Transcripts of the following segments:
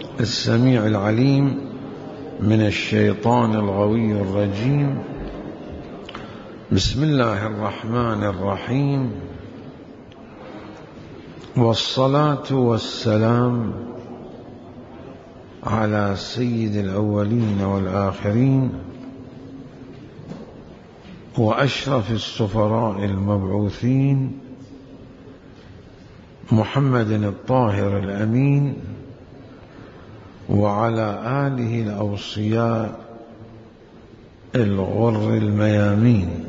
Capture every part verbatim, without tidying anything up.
السميع العليم من الشيطان الغوي الرجيم. بسم الله الرحمن الرحيم، والصلاة والسلام على سيد الأولين والآخرين وأشرف السفراء المبعوثين محمد الطاهر الأمين، وعلى آله الأوصياء الغر الميامين.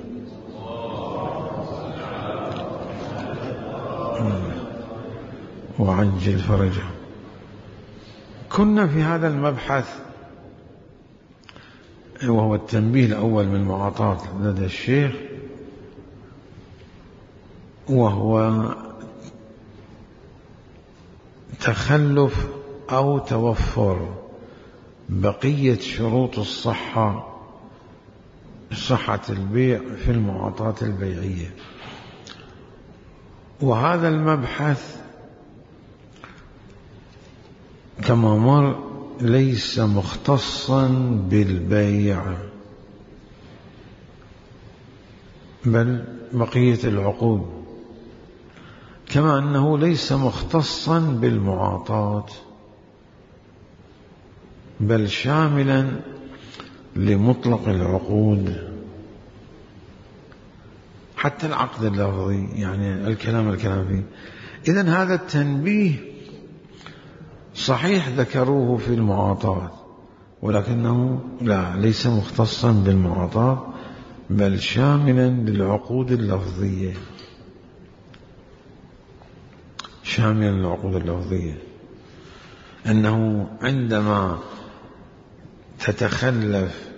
وعجل فرجهم. كنا في هذا المبحث وهو التنبيه الأول من المعاطاة لدى الشيخ، وهو تخلف أو توفر بقية شروط الصحة صحة البيع في المعاطاة البيعية. وهذا المبحث كما مر ليس مختصا بالبيع، بل بقية العقود، كما أنه ليس مختصا بالمعاطاة، بل شاملا لمطلق العقود، حتى العقد اللفظي، يعني الكلام الكلام فيه. إذن هذا التنبيه صحيح ذكروه في المعاطاة، ولكنه لا ليس مختصا بالمعاطاة، بل شاملا للعقود اللفظية، شاملا للعقود اللفظية. أنه عندما تتخلف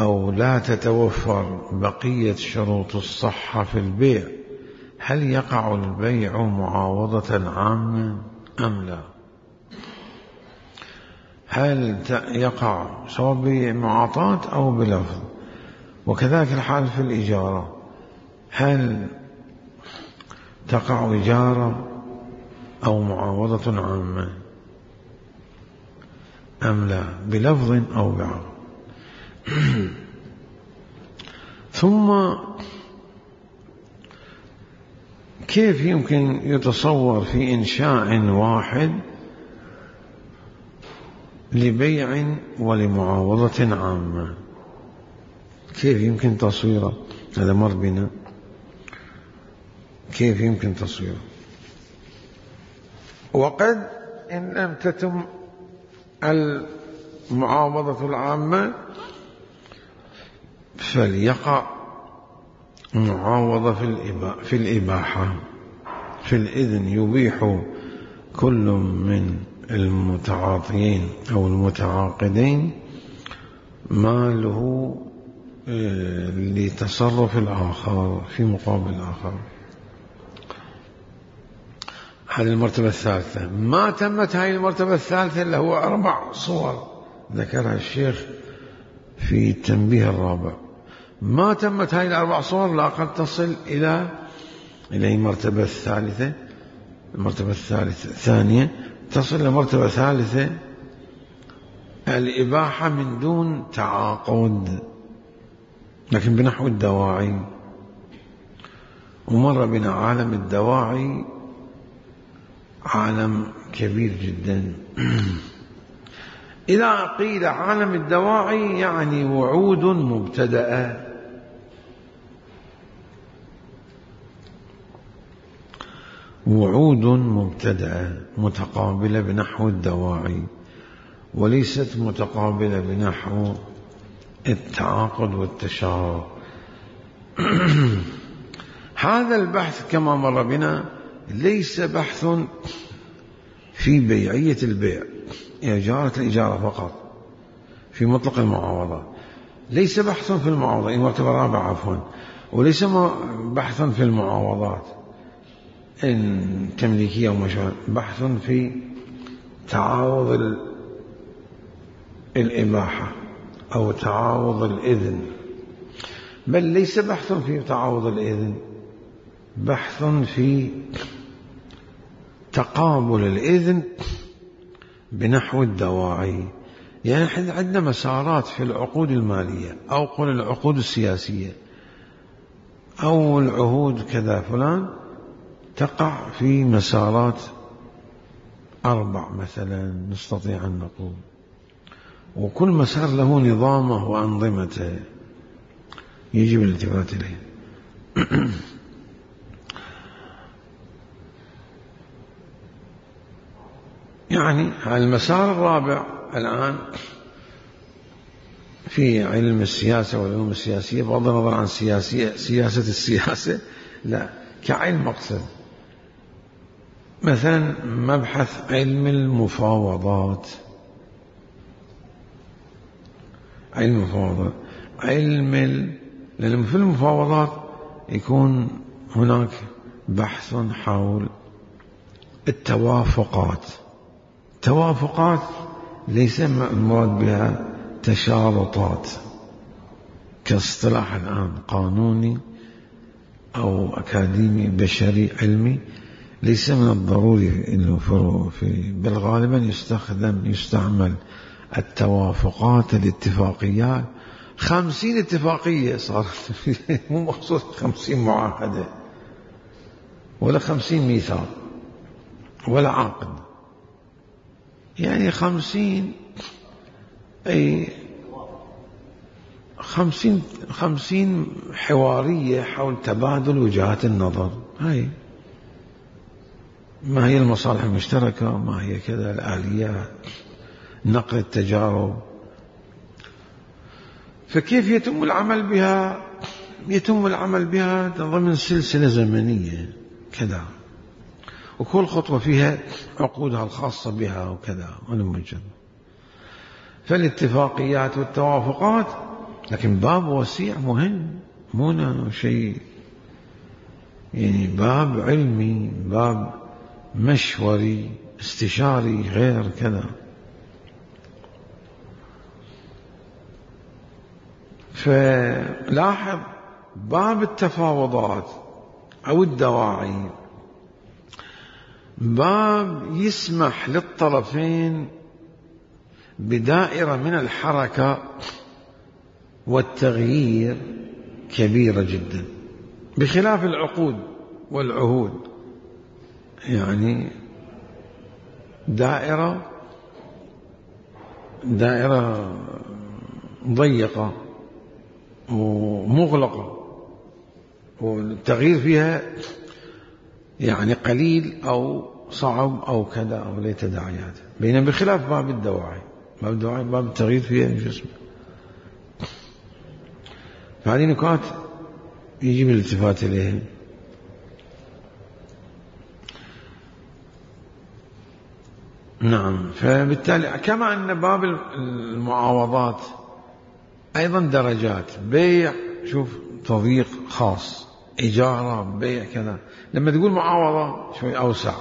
أو لا تتوفر بقية شروط الصحة في البيع، هل يقع البيع معاوضة عامة أم لا؟ هل يقع سواء بمعاطاة أو بلفظ؟ وكذلك الحال في الإجارة، هل تقع إجارة أو معاوضة عامة أم لا، بلفظ أو بعقد؟ ثم كيف يمكن يتصور في إنشاء واحد لبيع ولمعاوضة عامة؟ كيف يمكن تصويره؟ هذا مر بنا. كيف يمكن تصويره؟ وقد إن لم تتم المعاوضة العامة فليقع معاوضة في الإباحة، في الإذن. يبيح كل من المتعاطيين أو المتعاقدين ماله لتصرف الآخر في مقابل الآخر. هذه المرتبة الثالثة. ما تمت هذه المرتبة الثالثة اللي هو أربع صور ذكرها الشيخ في التنبيه الرابع. ما تمت هذه الأربع صور لا قد تصل إلى إلى المرتبة الثالثة. المرتبة الثالثة الثانية تصل إلى مرتبة ثالثة، الإباحة من دون تعاقد، لكن بنحو الدواعي. ومر بنا عالم الدواعي، عالم كبير جدا. إذا قيل عالم الدواعي يعني وعود مبتدأة، وعود مبتدأة متقابلة بنحو الدواعي، وليست متقابلة بنحو التعاقد والتشارك. هذا البحث كما مر بنا ليس بحث في بيعية البيع، إجارة الإجارة فقط، في مطلق المعاوضة. ليس بحث في المعاوضة، المرتبة الرابعة عفوا. وليس بحث في المعاوضات التمليكية ومشابه، بحث في تعاوض الإباحة أو تعاوض الإذن. بل ليس بحث في تعاوض الإذن، بحث في تقابل الإذن بنحو الدواعي. يعني احنا عندنا مسارات في العقود المالية أو قل العقود السياسية أو العهود كذا فلان، تقع في مسارات أربع مثلا نستطيع أن نقول، وكل مسار له نظامه وأنظمته يجب الالتفات إليه. يعني المسار الرابع الآن في علم السياسة والعلوم السياسية، بغض النظر عن سياسية سياسة السياسة، لا كعلم مقصد، مثلا مبحث علم المفاوضات، علم المفاوضات علم ال... لأن في المفاوضات يكون هناك بحث حول التوافقات. توافقات ليس المراد بها تشارطات كاصطلاح الآن قانوني أو أكاديمي بشري علمي، ليس من الضروري إنه في بل غالبا يستخدم يستعمل التوافقات الاتفاقيات. خمسين اتفاقية صارت مو مقصود خمسين معاهدة ولا خمسين ميثاق ولا عقد، يعني خمسين أي خمسين خمسين حوارية حول تبادل وجهات النظر. هاي ما هي المصالح المشتركة، ما هي كذا الآليات، نقل التجارب. فكيف يتم العمل بها؟ يتم العمل بها ضمن سلسلة زمنية كذا، وكل خطوة فيها عقودها الخاصة بها وكذا ونمجد. فالاتفاقيات والتوافقات لكن باب وسيع مهم، مو شيء يعني باب علمي، باب مشوري استشاري غير كذا. فلاحظ باب التفاوضات أو الدواعي باب يسمح للطرفين بدائرة من الحركة والتغيير كبيرة جدا، بخلاف العقود والعهود، يعني دائرة دائرة ضيقة ومغلقة والتغيير فيها يعني قليل أو صعب أو كذا أو ليه تداعيات، بينما بخلاف باب الدواعي، باب الدواعي باب التغيير فيها جسم. فهذه نقاط يجب الالتفات إليها. نعم. فبالتالي كما أن باب المعاوضات أيضا درجات، بيع شوف تضييق خاص، إجارة، بيع كذا. لما تقول معاوضة شوي أوسع،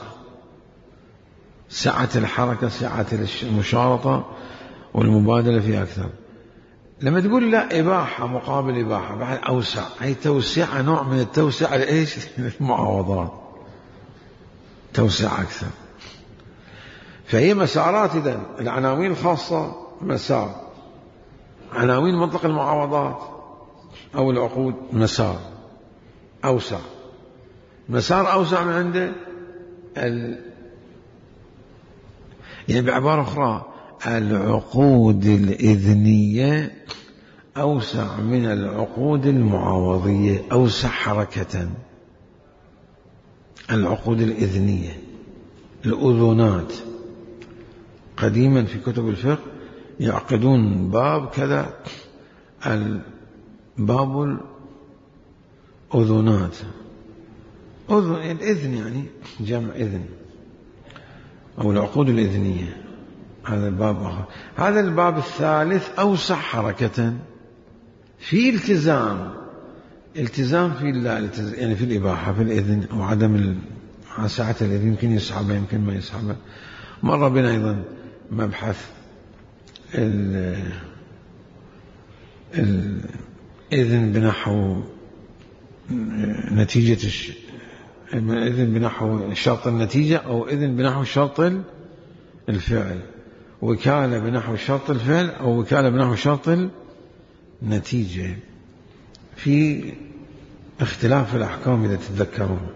سعة الحركة، سعة المشارطة والمبادلة فيها أكثر. لما تقول لا إباحة مقابل إباحة بعد أوسع، هي توسعة، نوع من التوسعة لإيش؟ المعاوضات توسع أكثر. فهي مسارات. إذن العناوين الخاصة مسار، عناوين مطلق المعاوضات أو العقود مسار أوسع، مسار أوسع من عنده ال... يعني بعبارة أخرى العقود الإذنية أوسع من العقود المعاوضية، أوسع حركة. العقود الإذنية الأذونات، قديما في كتب الفقه يعقدون باب كذا باب الأذونات، أذن الإذن يعني جمع إذن أو العقود الإذنية، هذا الباب آخر. هذا الباب الثالث أوسع حركة، في التزام، التزام في يعني في الإباحة، في الإذن أو عدم سعة الإذن، يمكن يسحبها يمكن ما يسحبها. مر بنا أيضا مبحث الإذن بنحو نتيجة الش... إذن بنحو شرط النتيجة أو إذن بنحو شرط الفعل. وكالة بنحو شرط الفعل أو وكالة بنحو شرط النتيجة، في اختلاف في الأحكام إذا تتذكرون.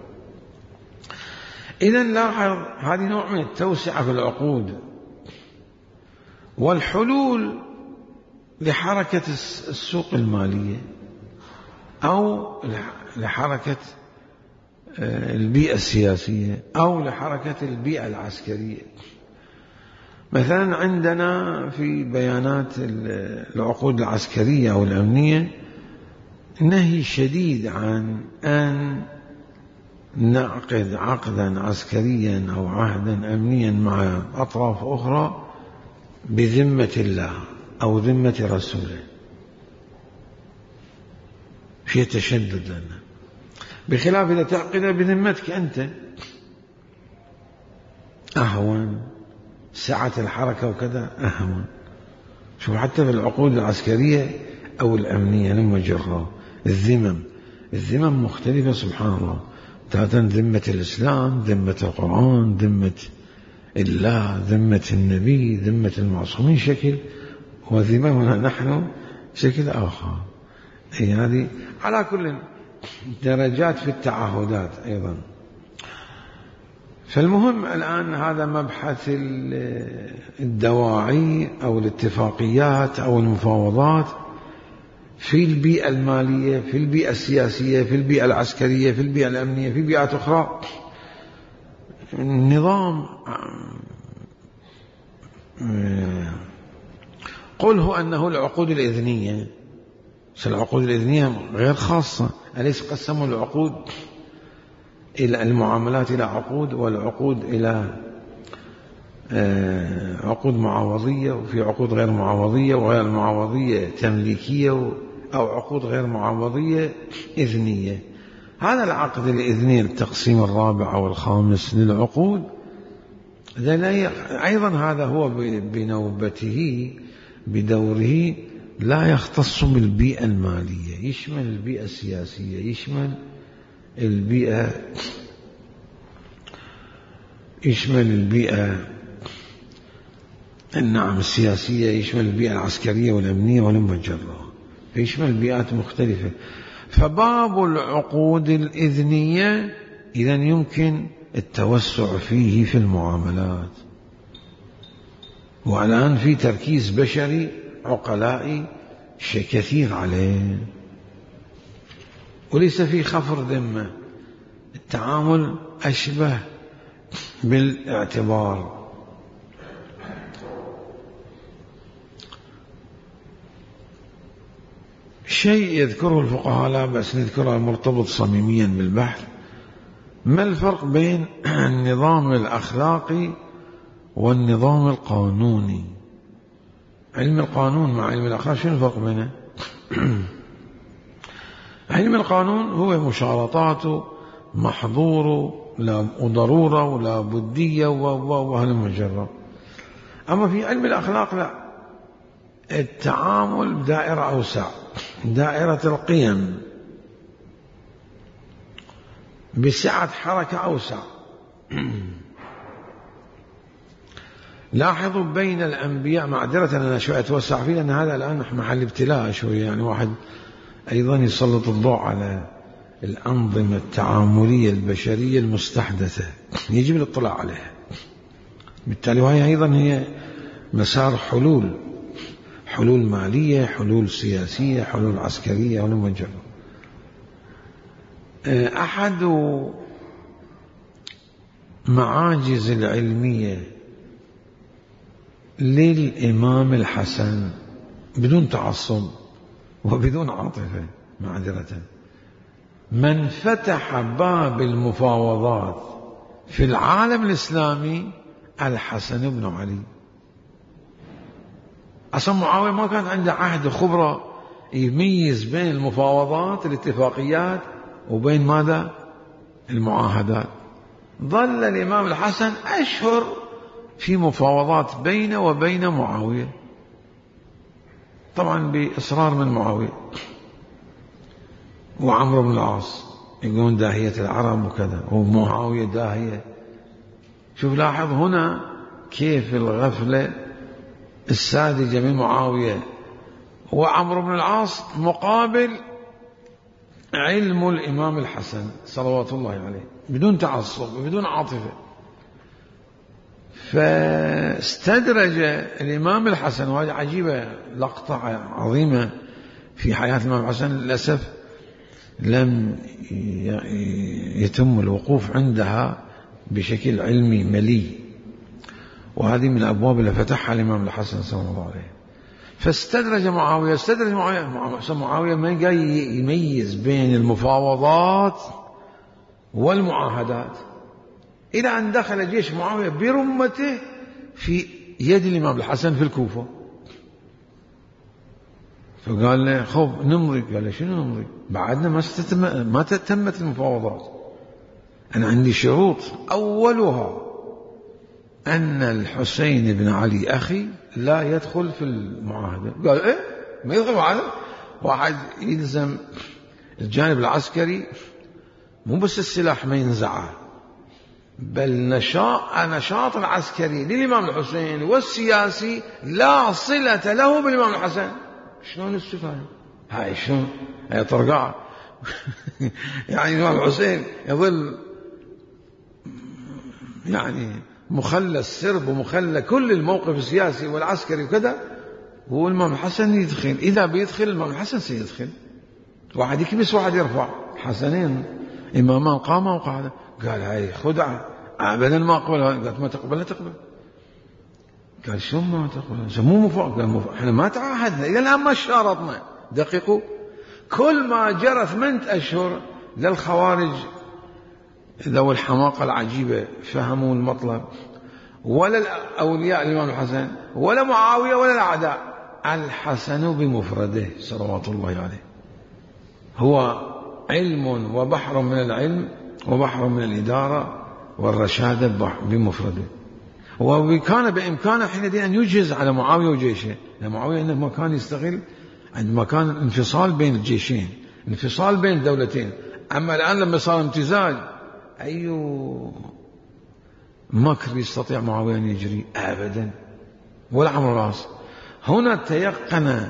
إذن لاحظ هذه نوع من التوسعة في العقود والحلول لحركة السوق المالية أو لحركة البيئة السياسية أو لحركة البيئة العسكرية. مثلا عندنا في بيانات العقود العسكرية أو الأمنية نهي شديد عن أن نعقد عقدا عسكريا أو عهدا أمنيا مع أطراف أخرى بذمة الله أو ذمة رسوله، في تشدد لنا، بخلاف إذا تعقد بذمتك أنت أهون، سعة الحركة وكذا أهون. شوف حتى في العقود العسكرية أو الأمنية لما جرى الذمم الذمم مختلفة سبحان الله، تارة ذمة الإسلام، ذمة القرآن، ذمة الله، ذمة النبي، ذمة المعصومين شكل، وذممنا نحن شكل آخر. أي هذه على كل درجات في التعهدات أيضا. فالمهم الآن هذا مبحث الدواعي أو الاتفاقيات أو المفاوضات في البيئة المالية، في البيئة السياسية، في البيئة العسكرية، في البيئة الأمنية، في بيئات أخرى. النظام قله أنه العقود الإذنية، العقود الإذنية غير خاصة، أليس قسموا العقود إلى المعاملات إلى عقود، والعقود إلى عقود معاوضية، وفي عقود غير معاوضية، وغير معاوضية تمليكية، أو عقود غير معاوضية إذنية. هذا العقد الإذني التقسيم الرابع أو الخامس للعقود أيضا هذا هو بنوبته بدوره لا يختص بالبيئة المالية، يشمل البيئة السياسية، يشمل البيئة يشمل البيئة النعم السياسية، يشمل البيئة العسكرية والأمنية والمجرة، يشمل بيئات مختلفة. فباب العقود الإذنية إذن يمكن التوسع فيه في المعاملات، والآن في تركيز بشري عقلائي كثير عليه، وليس في خفر ذمة، التعامل أشبه بالاعتبار. شيء يذكره الفقهاء لا بأس نذكره مرتبط صميميا بالبحث: ما الفرق بين النظام الأخلاقي والنظام القانوني؟ علم القانون مع علم الأخلاق شنو الفرق بينه؟ علم القانون هو مشارطاته محظوره وضرورة ولا بدية وهالمجرة. أما في علم الأخلاق لا، التعامل بدائرة أوسع، دائرة القيم بسعة حركة أوسع. لاحظوا بين الأنبياء، معذرة أنا شوية أتوسع فيه لأن هذا الآن محل ابتلاء شوية، يعني واحد أيضا يسلط الضوء على الأنظمة التعاملية البشرية المستحدثة يجب الاطلاع عليها. بالتالي وهي أيضا هي مسار حلول، حلول مالية، حلول سياسية، حلول عسكرية والمجرة. أحد معاجز العلمية للإمام الحسن بدون تعصب وبدون عاطفة معذرة، من فتح باب المفاوضات في العالم الإسلامي الحسن بن علي. أصلا معاوية ما كان عنده عهد خبرة يميز بين المفاوضات الاتفاقيات وبين ماذا؟ المعاهدات. ظل الإمام الحسن أشهر في مفاوضات بينه وبين معاوية، طبعا بإصرار من معاوية وعمرو بن العاص، يقولون داهية العرب وكذا، ومعاوية داهية. شوف لاحظ هنا كيف الغفلة الساذجة من معاوية وعمرو بن العاص مقابل علم الإمام الحسن صلوات الله عليه بدون تعصب بدون عاطفة. فاستدرج الإمام الحسن، وهذه عجيبة لقطة عظيمة في حياة الإمام الحسن للأسف لم يتم الوقوف عندها بشكل علمي ملي، وهذه من الأبواب اللي فتحها الإمام الحسن صلى الله عليه. فاستدرج معاوية استدرج معاوية معاوية ما جاي يميز بين المفاوضات والمعاهدات، إلى أن دخل جيش معاوية برمته في يد الإمام الحسن في الكوفة. فقال له خوف نمضي. قال له شنو نمضي؟ بعدنا ما ما تتمت المفاوضات، أنا عندي شروط، أولها أن الحسين بن علي أخي لا يدخل في المعاهدة. قال إيه ما يدخل معاهدة؟ واحد يلزم الجانب العسكري مو بس السلاح ما ينزعه، بل نشاط نشاط العسكري للإمام الحسين والسياسي لا صلة له بالإمام الحسن. شلون استفهم؟ هاي شلون؟ هاي طرقاء. يعني الإمام الحسين يظل يعني مخلى السرب ومخلى كل الموقف السياسي والعسكري وكذا، والإمام الحسن يدخل. إذا بيدخل الإمام الحسن سيدخل، واحد يكبس واحد يرفع، حسنين إمامان قاما وقعدا. قال هاي خدعة أبدا ما أقبل. قالت ما تقبل لا تقبل. قال شو ما تقبل؟ مو مفاوض. قال مفاوض. احنا ما تعاهدنا إلى الآن ما شارطنا. دقيقوا، كل ما جرى ثمانية أشهر للخوارج ذوي الحماقة العجيبة فهموا المطلب، ولا الأولياء الإمام الحسن ولا معاوية ولا الأعداء. الحسن بمفرده صلوات الله عليه هو علم وبحر من العلم وبحر من الإدارة والرشادة بمفرده. وكان بإمكانه حينئذ أن يجهز على معاوية وجيشه، لأن معاوية عندما كان يستغل عندما كان انفصال بين الجيشين، انفصال بين الدولتين. أما الآن لما صار امتزاج، أي مكر يستطيع معاوية أن يجري؟ أبدا. ولا عمرو العاص. هنا تيقن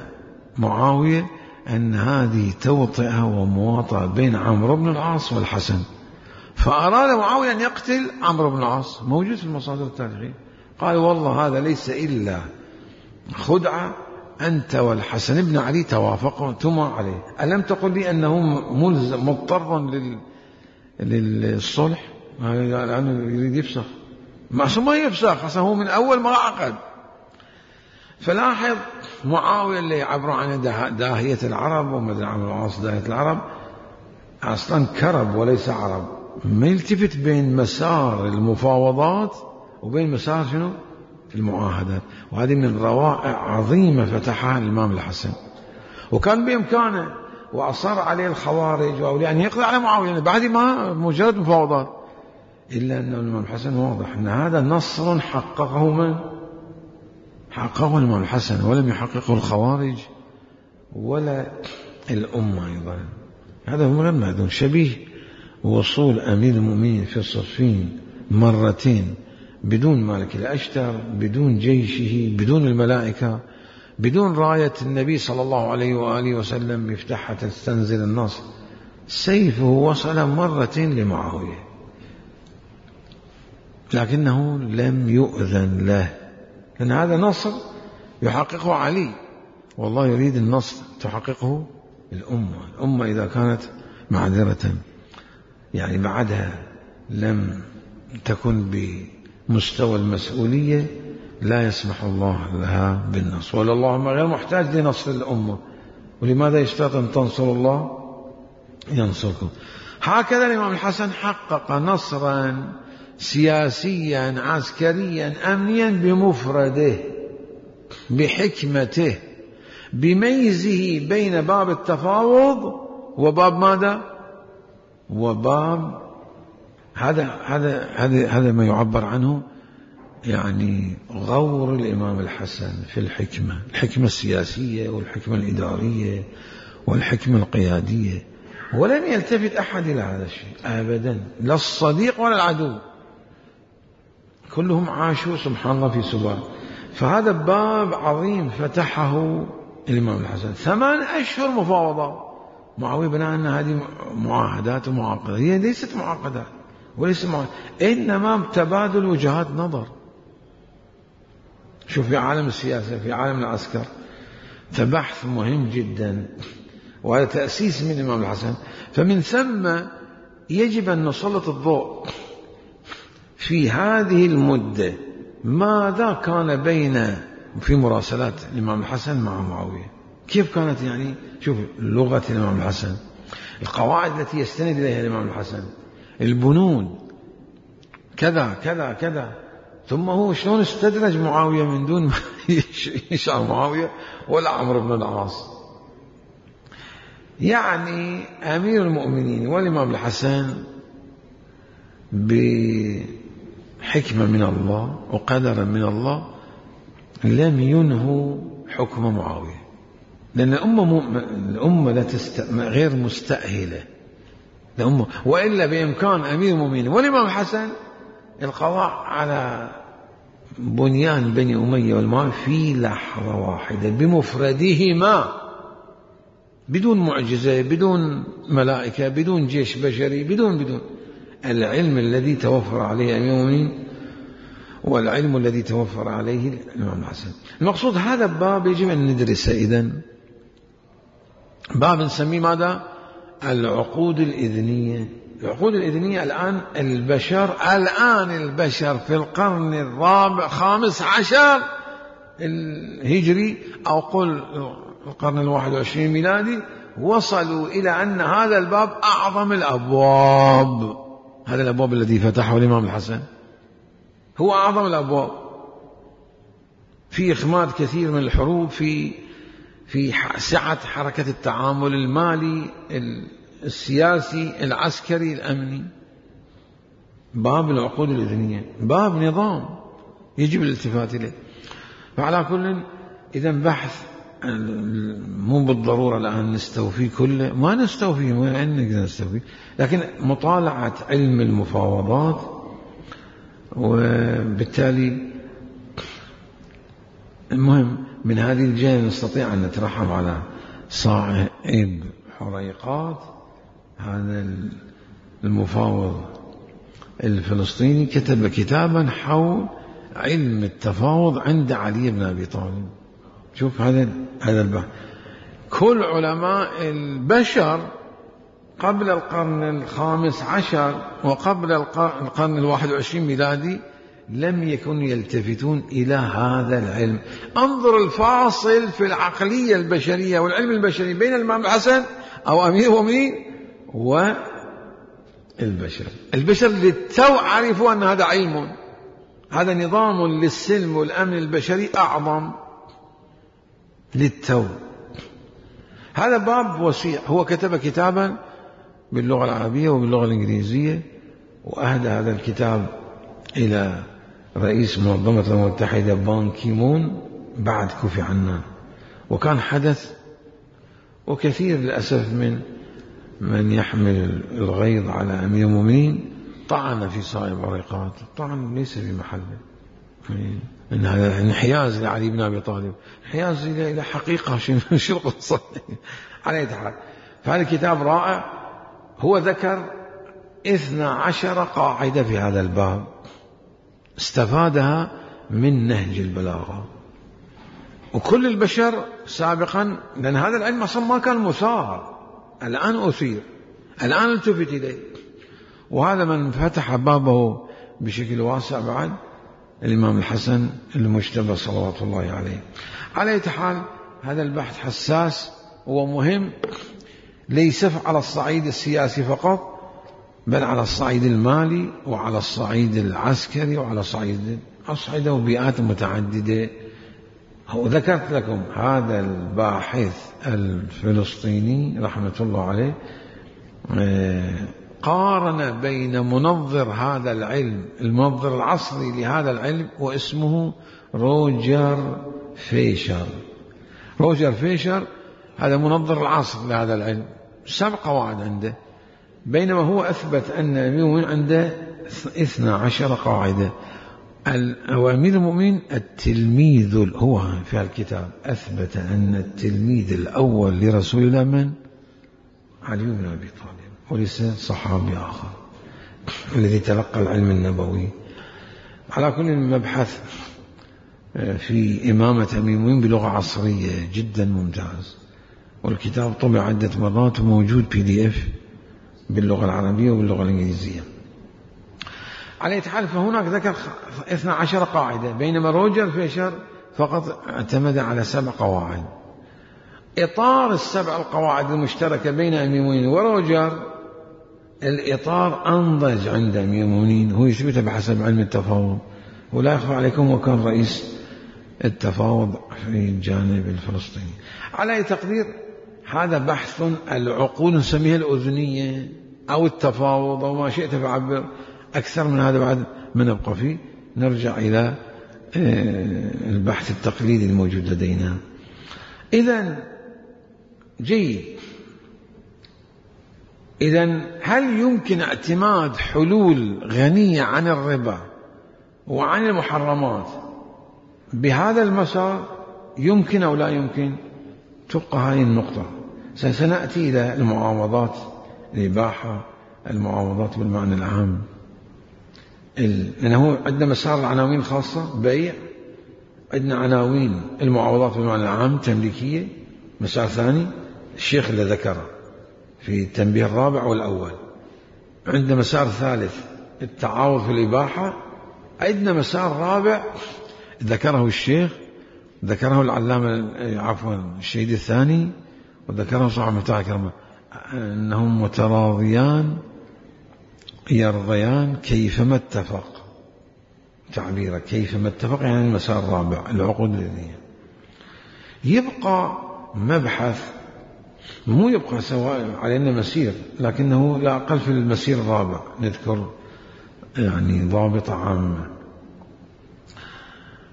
معاوية أن هذه توطئة ومواطأة بين عمرو بن العاص والحسن، فأراد معاوية أن يقتل عمرو بن العاص. موجود في المصادر التاريخية. قال والله هذا ليس إلا خدعة، أنت والحسن بن علي توافقتما عليه. ألم تقل لي أنه ملزم مضطرا لل... للصلح؟ لأنه يريد يفسخ. ما يفسخ أصلا، هو من أول ما عقد. فلاحظ معاوية اللي يعبر عن داهية العرب، ومدري عمرو العاص داهية العرب، أصلا كرب وليس عرب. ما يلتفت بين مسار المفاوضات وبين مسار شنو؟ المعاهدات. وهذه من روائع عظيمة فتحها الإمام الحسن، وكان بإمكانه وأصر عليه الخوارج وأولياء أن يقضي على معاوية بعد ما مجرد مفاوضات. إلا أن الإمام الحسن واضح أن هذا نصر حققه من؟ حققه الإمام الحسن، ولم يحققه الخوارج ولا الأمة أيضا. هذا هو المعدوم، شبيه وصول أمير المؤمنين في صفين مرتين بدون مالك الأشتر، بدون جيشه، بدون الملائكة، بدون راية النبي صلى الله عليه وآله وسلم يفتحها تستنزل النصر. سيفه وصل مرتين لمعاوية، لكنه لم يؤذن له، لأن هذا نصر يحققه علي، والله يريد النصر تحققه الأمة. الأمة إذا كانت معذرة يعني بعدها لم تكن بمستوى المسؤولية، لا يسمح الله لها بالنصر. ولا اللهم غير محتاج لنصر الأمة، ولماذا يشترط أن تنصروا الله ينصركم. هكذا الإمام الحسن حقق نصرا سياسيا عسكريا أمنيا بمفرده، بحكمته، بميزه بين باب التفاوض وباب ماذا؟ وباب هذا هذا هذا هذا ما يعبر عنه يعني غور الإمام الحسن في الحكمة، الحكمة السياسية والحكمة الإدارية والحكمة القيادية. ولم يلتفت أحد إلى هذا الشيء أبدا، لا الصديق ولا العدو، كلهم عاشوا سبحان الله في سبات. فهذا باب عظيم فتحه الإمام الحسن. ثمان أشهر مفاوضات. معاوية بناء أن هذه معاهدات ومعاقدات، هي ليست معاقدات وليس معاهدات، إنما تبادل وجهات نظر. شوف في عالم السياسة، في عالم العسكر، فبحث مهم جدا، وهذا تأسيس من الإمام الحسن. فمن ثم يجب أن نسلط الضوء في هذه المدة ماذا كان بين في مراسلات الإمام الحسن مع معاوية، كيف كانت، يعني شوف لغة الإمام الحسن، القواعد التي يستند إليها الإمام الحسن، البنود كذا كذا كذا. ثم هو شلون استدرج معاوية من دون ما يشعر معاوية ولا عمرو بن العاص. يعني أمير المؤمنين والإمام الحسن بحكمة من الله وقدرا من الله لم ينهوا حكم معاوية، لأن الأمة, الأمة لا تست... غير مستأهلة الأمة، وإلا بإمكان أمير المؤمنين والإمام الحسن القضاء على بنيان بني أمية والمال في لحظة واحدة بمفردهما، بدون معجزة، بدون ملائكة، بدون جيش بشري، بدون بدون العلم الذي توفر عليه أمير المؤمنين والعلم الذي توفر عليه الإمام الحسن. المقصود هذا الباب يجب أن ندرسه. إذن باب نسميه ماذا؟ العقود الإذنية. العقود الإذنية الآن البشر الآن البشر في القرن الرابع خامس عشر الهجري أو قل القرن الواحد والعشرين ميلادي وصلوا إلى أن هذا الباب أعظم الأبواب. هذا الأبواب الذي فتحه الإمام الحسن هو أعظم الأبواب في إخماد كثير من الحروب، في في سعة حركة التعامل المالي السياسي العسكري الأمني. باب العقود الإذنية باب نظام يجب الالتفات إليه. فعلى كل إذن بحث مو بالضرورة الآن نستوفي كله، ما نستوفي، ما أنك نستوفي، لكن مطالعة علم المفاوضات. وبالتالي المهم من هذه الجهة نستطيع أن نترحم على صاحب حريقات هذا المفاوض الفلسطيني، كتب كتابا حول علم التفاوض عند علي بن أبي طالب. شوف هذا هذا البحث. كل علماء البشر قبل القرن الخامس عشر وقبل القرن الواحد والعشرين ميلادي لم يكونوا يلتفتون إلى هذا العلم. انظر الفاصل في العقلية البشرية والعلم البشري بين الإمام الحسن أو أمير المؤمنين والبشر. البشر للتو عرفوا أن هذا علم، هذا نظام للسلم والأمن البشري أعظم للتو. هذا باب وسيع. هو كتب كتابا باللغة العربية وباللغة الإنجليزية، وأهدى هذا الكتاب إلى رئيس منظمة الأمم المتحدة بان كيمون بعد كوفي عنان. وكان حدث، وكثير للأسف من من يحمل الغيظ على أمير المؤمنين طعن في صائب عريقات، طعن ليس في محله، إن هذا انحياز لعلي بن أبي طالب، انحياز إلى حقيقة شو القصة على أي حال. فهذا الكتاب رائع. هو ذكر اثنى عشر قاعدة في هذا الباب استفادها من نهج البلاغة. وكل البشر سابقا، لأن هذا العلم أصلا ما كان مثار، الآن أثير، الآن التفت إليه. وهذا من فتح بابه بشكل واسع بعد الإمام الحسن المجتبى صلوات الله عليه. على أي حال هذا البحث حساس ومهم، ليس على الصعيد السياسي فقط، بل على الصعيد المالي وعلى الصعيد العسكري وعلى صعيد أصعدة وبيئات متعددة. ذكرت لكم هذا الباحث الفلسطيني رحمة الله عليه قارن بين منظر هذا العلم، المنظر العصري لهذا العلم، واسمه روجر فيشر. روجر فيشر هذا منظر العصر لهذا العلم، سبع قواعد عنده، بينما هو أثبت أن اليوم عنده اثنى عشر قاعدة. هو أمير المؤمنين التلميذ، هو في الكتاب أثبت أن التلميذ الأول لرسول الله من؟ علي بن أبي طالب، وليس صحابي آخر الذي تلقى العلم النبوي. على كل مبحث في إمامة أمير المؤمنين بلغة عصرية جدا ممتاز، والكتاب طبع عدة مرات وموجود بي دي اف باللغة العربية وباللغة الإنجليزية. على أي حال فهناك ذكر اثنى عشر قاعدة، بينما روجر فيشر فقط اعتمد على سبع قواعد. إطار السبع القواعد المشتركة بين أمير المؤمنين وروجر، الإطار أنضج عند أمير المؤمنين، هو يثبت بحسب علم التفاوض، ولا يخفى عليكم وكان رئيس التفاوض في الجانب الفلسطيني. على أي تقدير هذا بحث العقول نسميها الأذنية أو التفاوض أو ما شئت فعبر، أكثر من هذا بعد ما نبقى فيه. نرجع إلى البحث التقليدي الموجود لدينا. إذن جيد، إذن هل يمكن اعتماد حلول غنية عن الربا وعن المحرمات بهذا المسار؟ يمكن أو لا يمكن؟ تبقى هذه النقطة. سنأتي إلى المعاوضات، الإباحة، المعاوضات بالمعنى العام، لأنه عندنا مسار العناوين الخاصة بيع، عندنا عناوين المعاوضات بالمعنى العام تمليكية، مسار ثاني الشيخ اللي ذكره في التنبيه الرابع والأول، عندنا مسار ثالث التعاوض في الإباحة، عندنا مسار رابع ذكره الشيخ، ذكره العلامة عفوا الشهيد الثاني، وذكره صاحب مفتاح الكرامة، أنهم متراضيان يرضيان كيفما اتفق، تعبيره كيفما اتفق يعني المسار الرابع العقود الذهنية. يبقى مبحث، مو يبقى سواء علينا مسير، لكنه لا أقل في المسير الرابع نذكر يعني ضابطة عامة.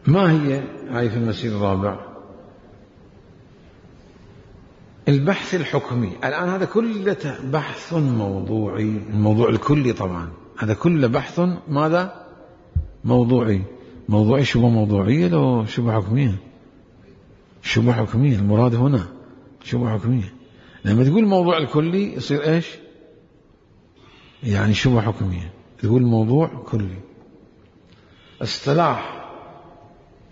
ما هي هاي في المسير الرابع؟ البحث الحكمي. الآن هذا كله بحث موضوعي، الموضوع الكلي طبعا هذا كله بحث ماذا؟ موضوعي. موضوعي شبه موضوعية لو شبه حكمية؟ شبه حكمية المراد هنا، شبه حكمية. لما تقول الموضوع الكلي يصير ايش؟ يعني شبه حكمية. تقول موضوع كلي. اصطلاح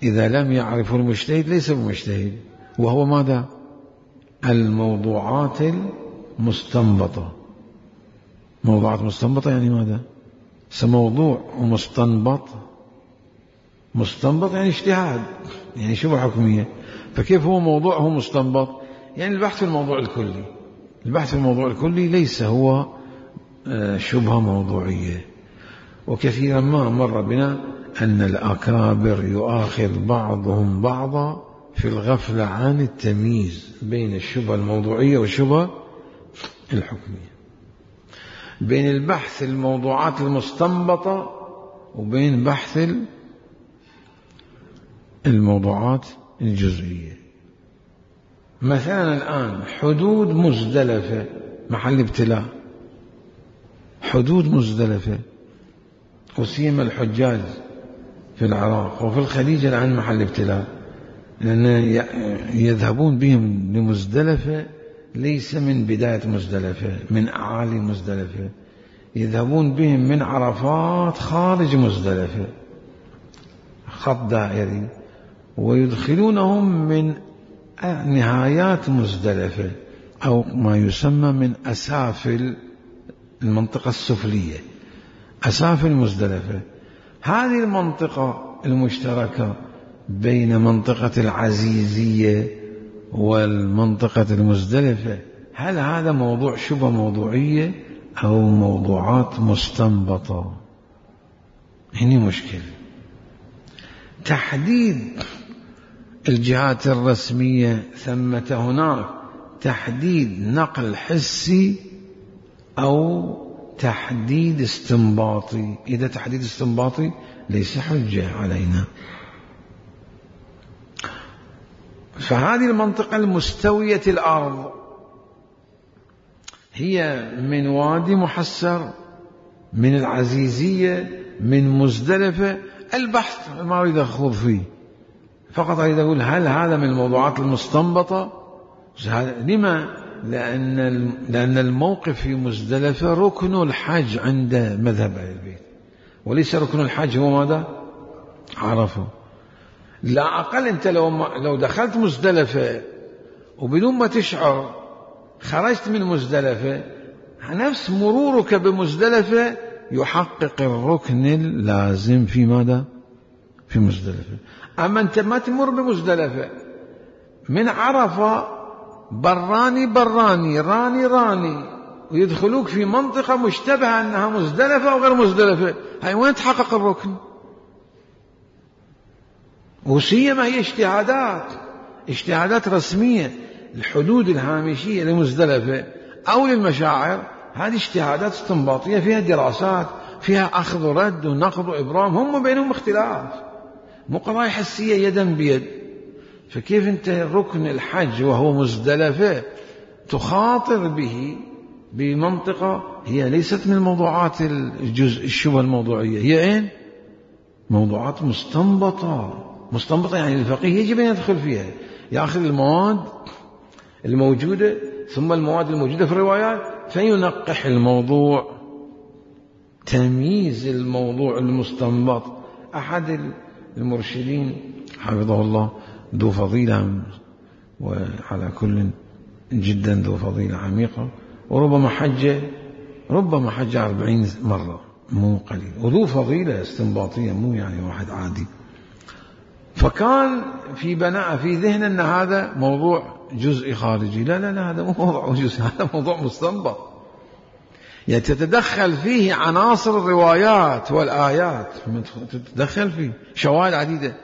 إذا لم يعرفه المجتهد ليس بمجتهد، وهو ماذا؟ الموضوعات المستنبطة. موضوعات مستنبطة يعني ماذا؟ سموضوع ومستنبط، مستنبط يعني اجتهاد، يعني شبه حكمية. فكيف هو موضوع هو مستنبط؟ يعني البحث في الموضوع الكلي. البحث في الموضوع الكلي ليس هو شبهة موضوعية. وكثيرا ما مر بنا أن الأكابر يؤاخذ بعضهم بعضا في الغفلة عن التمييز بين الشبهة الموضوعية والشبهة الحكمية، بين البحث الموضوعات المستنبطة وبين بحث الموضوعات الجزئية. مثلا الآن حدود مزدلفة محل ابتلاء، حدود مزدلفة وسيما الحجاج في العراق وفي الخليج الآن محل ابتلاء، لأن يذهبون بهم لمزدلفة ليس من بداية مزدلفة، من أعالي مزدلفة، يذهبون بهم من عرفات خارج مزدلفة خط دائري، ويدخلونهم من نهايات مزدلفة أو ما يسمى من أسافل المنطقة السفلية، أسافل مزدلفة. هذه المنطقة المشتركة بين منطقة العزيزية والمنطقة المزدلفة، هل هذا موضوع شبه موضوعية أو موضوعات مستنبطة؟ هنا مشكلة. تحديد الجهات الرسمية، ثمة هناك تحديد نقل حسي أو تحديد استنباطي. إذا تحديد استنباطي ليس حجة علينا. فهذه المنطقة المستوية الأرض هي من وادي محسر، من العزيزية، من مزدلفة، البحث ما أريد أخوض فيه، فقط أريد أقول هل هذا من الموضوعات المستنبطة؟ لما؟ لأن لأن الموقف في مزدلفة ركن الحج عند مذهب أهل البيت، وليس ركن الحج هو ماذا؟ عرفه. لا أقل أنت لو لو دخلت مزدلفة وبدون ما تشعر خرجت من مزدلفة، نفس مرورك بمزدلفة يحقق الركن اللازم في ماذا؟ في مزدلفة. أما أنت ما تمر بمزدلفة، من عرفة براني براني راني راني ويدخلوك في منطقة مشتبهة أنها مزدلفة أو غير مزدلفة، هاي وين تحقق الركن؟ وسيما هي اجتهادات اجتهادات رسمية. الحدود الهامشية لمزدلفة أو للمشاعر هذه اجتهادات استنباطية فيها دراسات، فيها أخذ ورد ونقض وإبرام، هم بينهم اختلاف، مو قضايا حسية يدا بيد. فكيف أنت ركن الحج وهو مزدلفة تخاطر به بمنطقة هي ليست من الموضوعات الجزء الشبه الموضوعية، هي إيه؟ موضوعات مستنبطة. مستنبطة يعني الفقيه يجب أن يدخل فيها، يأخذ المواد الموجودة ثم المواد الموجودة في الروايات فينقح الموضوع، تمييز الموضوع المستنبط. أحد المرشدين حفظه الله ذو فضيلة، وعلى كل جدا ذو فضيلة عميقة، وربما حج ربما حج أربعين مرة مو قليل، وذو فضيلة استنباطية مو يعني واحد عادي. فكان في بناء في ذهن أن هذا موضوع جزئي خارجي، لا لا لا هذا مو موضوع جزئي، هذا موضوع مستنبط، يعني تتدخل فيه عناصر الروايات والآيات، تتدخل فيه شواهد عديدة،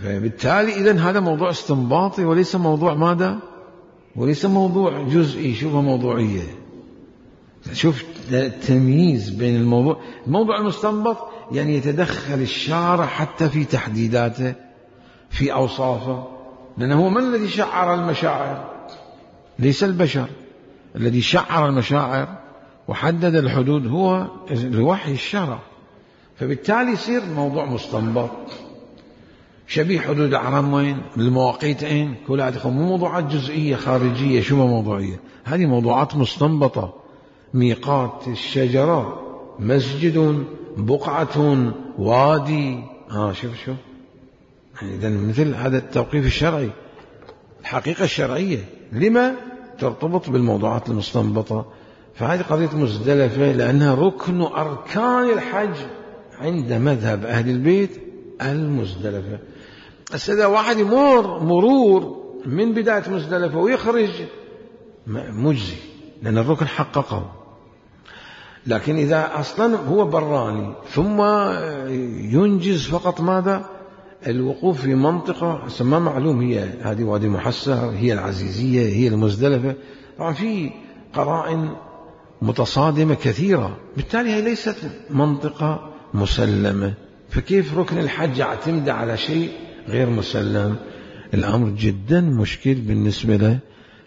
فبالتالي إذن هذا موضوع استنباطي وليس موضوع ماذا؟ وليس موضوع جزئي شبه موضوعية. شوف التمييز بين الموضوع الموضوع المستنبط، يعني يتدخل الشارع حتى في تحديداته في أوصافه، لأنه هو من الذي شعر المشاعر؟ ليس البشر. الذي شعر المشاعر وحدد الحدود هو الوحي الشرع، فبالتالي يصير موضوع مستنبط. شبيه حدود الأحرام وين؟ المواقيت أين؟ كلها مو موضوعات جزئية خارجية شبه موضوعية، هذه موضوعات مستنبطة. ميقات الشجرة مسجد بقعة وادي، ها شوف شوف إذا مثل هذا التوقيف الشرعي، الحقيقة الشرعية لما ترتبط بالموضوعات المستنبطة. فهذه قضية مزدلفة لأنها ركن أركان الحج عند مذهب أهل البيت المزدلفة. إذا واحد يمر مرور من بداية مزدلفة ويخرج مجزي لأن الركن حققه، لكن إذا أصلا هو براني ثم ينجز فقط ماذا؟ الوقوف في منطقة ما معلوم هي هذه وادي محسر، هي العزيزية، هي المزدلفة، طبعا في قرائن متصادمة كثيرة، بالتالي هي ليست منطقة مسلمة. فكيف ركن الحج يعتمد على شيء غير مسلم؟ الأمر جدا مشكل بالنسبة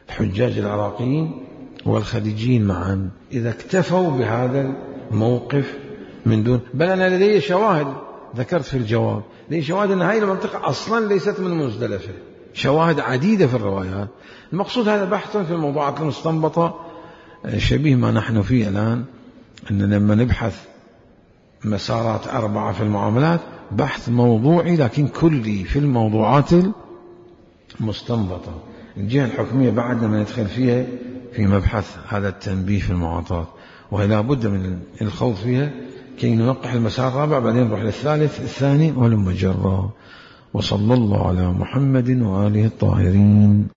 للحجاج العراقيين والخليجيين معا إذا اكتفوا بهذا الموقف من دون، بل أنا لدي شواهد ذكرت في الجواب، لدي شواهد أن هذه المنطقة أصلا ليست من مزدلفة، شواهد عديدة في الروايات. المقصود هذا بحث في الموضوعات المستنبطة شبيه ما نحن فيه الآن، أن لما نبحث مسارات أربعة في المعاملات بحث موضوعي لكن كلي في الموضوعات المستنبطة. الجهة الحكمية بعد ما ندخل فيها في مبحث هذا التنبيه في المعاطات، وهي لا بد من الخوض فيها كي ننقح المسار الرابع، بعدين نروح للثالث الثاني ولما جرى. وصلى الله على محمد وآله الطاهرين.